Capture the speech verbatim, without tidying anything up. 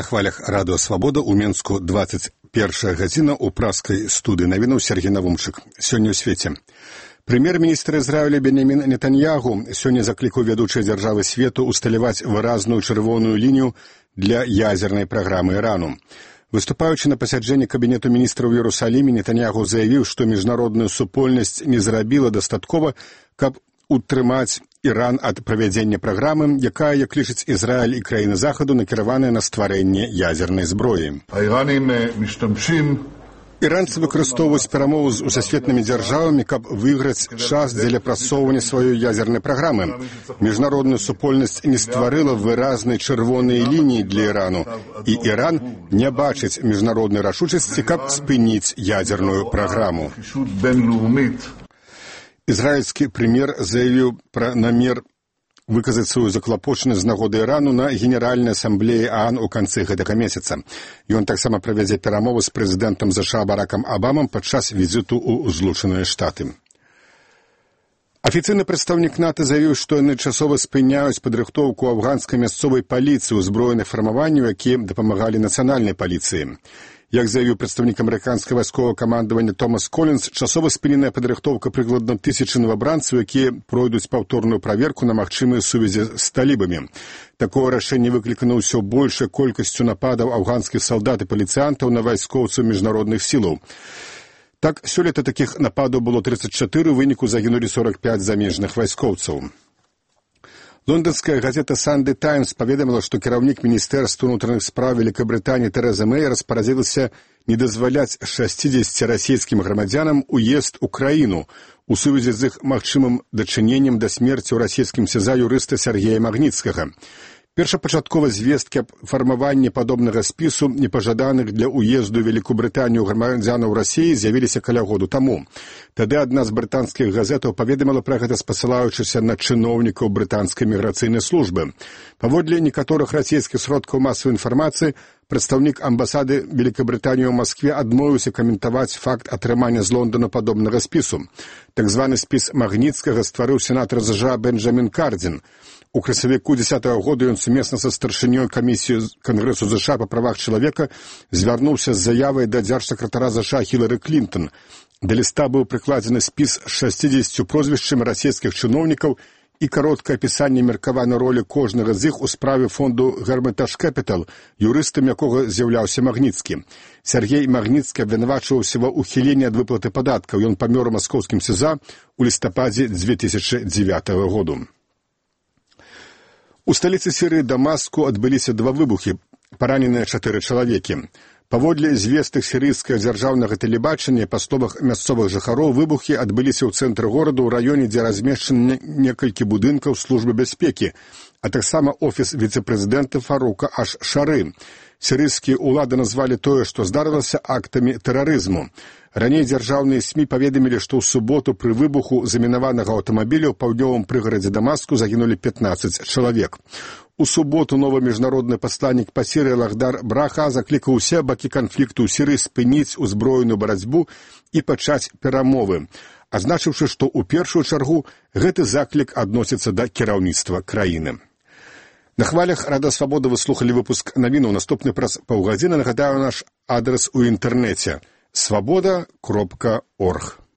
хвалях радыё «Свабода» ў Менску двадцать першая гадзіна ў праскай студыі навінаў Сергей Навумчык. Сёння ў свеце. Прэм'ер-міністр Ізраіля Бенямін Нетаньягу сёння заклікаў вядучыя дзяржавы свету усталяваць выразную чырвоную лінію для ядзернай праграмы Ірану. Выступаючы на пасяджэнні кабінету міністраў у Іерусаліме, Нетаньягу заявіў, што міжнародная супольнасць не зрабіла дастаткова, каб утрымаць Іран ад правядзення праграмы, якая, як лічыць Ізраіль і краіны Захаду, накіраваная на стварэнне ядзернай зброі. Іранцы выкарыстоўваюць перамовы з усасветнымі дзяржавамі, каб выйграць час дзеля прасоўвання сваёй ядзернай праграмы. Міжнародная супольнасць не стварыла выразнай чырвонай лініі для Ірану, і Іран не бачыць міжнароднай рашучасці, каб спыніць ядзерную праграму. Ізраільскі прэм'ер заявіў пра намер выказаць сваю заклапочанасць з нагоды Ірану на Генеральнай асамблеі ААН у канцы гэтага месяца. Ён таксама правядзе перамовы з прэзідэнтам ЗША Баракам Абамам падчас візіту ў Злучаныя Штаты. Афіцыйны прадстаўнік НАТО заявіў, што яны часова спыняюць падрыхтоўку афганскай мясцовай паліцыі, узброеных фармаванняў, якія дапамагалі нацыянальнай паліцыі. Як заявіў прадстаўнік амерыканскага вайсковага камандавання Томас Колінс, часова спыненая падрыхтоўка прыкладна тысячы новабранцаў, якія пройдуць паўторную праверку на магчымыя сувязі з талібамі. Такое рашэнне выклікана ўсё большай колькасцю нападаў афганскіх салдат і паліцыянтаў на вайскоўцаў міжнародных сілаў. Так, сёлета такіх нападаў было тридцать чатыры, у выніку загінулі сорок пять замежных вайскоўцаў. Лондонская газета «Санды Таймс» паведаміла, што кіраўнік міністэрства ўнутраных спраў Великабрытаніі Тэрэза Мэй распарадзілася не дазваляць шасцідзесяці расійскім грамадзянам уезд у краіну у сувязі з іх магчымым дачыненнем да смерці ў расійскім СІЗА юрыста Сергея Магніцкага. Першапачаткова звесткі аб фармаванні падобнага спісу непажаданых для ўезду ў Великабрытанію грамадзянаў Расіі з'явіліся каля году таму. Тады адна з брытанскіх газетаў паведаміла пра гэта, спасылаючыся на чыноўнікаў брытанскай міграцыйнай службы. Паводле некаторых расійскіх сродкаў масавай інфармацыі, прадстаўнік амбасады Великабрытаніі ў Маскве адмовіўся каментаваць факт атрымання з Лондона падобнага спісу. Так званы спіс Магніцкага стварыў сенатар ЗША Бенджамін Кардзін. У красавіку дзесятага года ён сумесна са старшынёй камісіі Кангрэсу ЗША па правах чалавека звярнуўся з заявай да дзяржсакратара ЗША Хілары Клінтон. Да ліста быў прыкладзены спіс з шасцідзесятю прозвішчамі расійскіх чыноўнікаў і кароткае апісанне меркаванай ролі кожнага з іх у справе фонду Hermitage Capital, юрыстам якога з'яўляўся Магніцкі. Сергей Магніцкі абвінавачваўся ва ўхіленні ад выплаты падаткаў. Ён памёр у маскоўскім СІЗА ў лістападзе дзве тысячы дзевятага году. У сталіцы Сірыі Дамаску адбыліся два выбухі, параненыя чатыры чалавекі. Паводле звестак сірыйскага дзяржаўнага тэлебачання, па словах мясцовых жыхароў, выбухі адбыліся ў цэнтры горада ў раёне, дзе размешчаны некалькі будынкаў службы бяспекі, а таксама офіс віцэ-прэзідэнта Фарука Аш-Шары. Сірыйскія ўлады назвалі тое, што здарылася, актамі тэрарызму. Раней дзяржаўныя СМІ паведамілі, што ў суботу пры выбуху замінаванага аўтамабіля ў паўднёвым прыгарадзе Дамаску загінулі пятнаццаць чалавек. У суботу новы міжнародны пасланнік па Сірыі Лахдар Браха заклікаў усе бакі канфлікту ў Сірыі спыніць узброеную барацьбу і пачаць перамовы, азначыўшы, што ў першую чаргу гэты заклік адносіцца да кіраўніцтва краіны. На хвалях Радыё Свабода вы слухалі выпуск навінаў. Наступны праз паўгадзіны. Нагадаю наш адрес у інтэрнэце свабода кропка орг.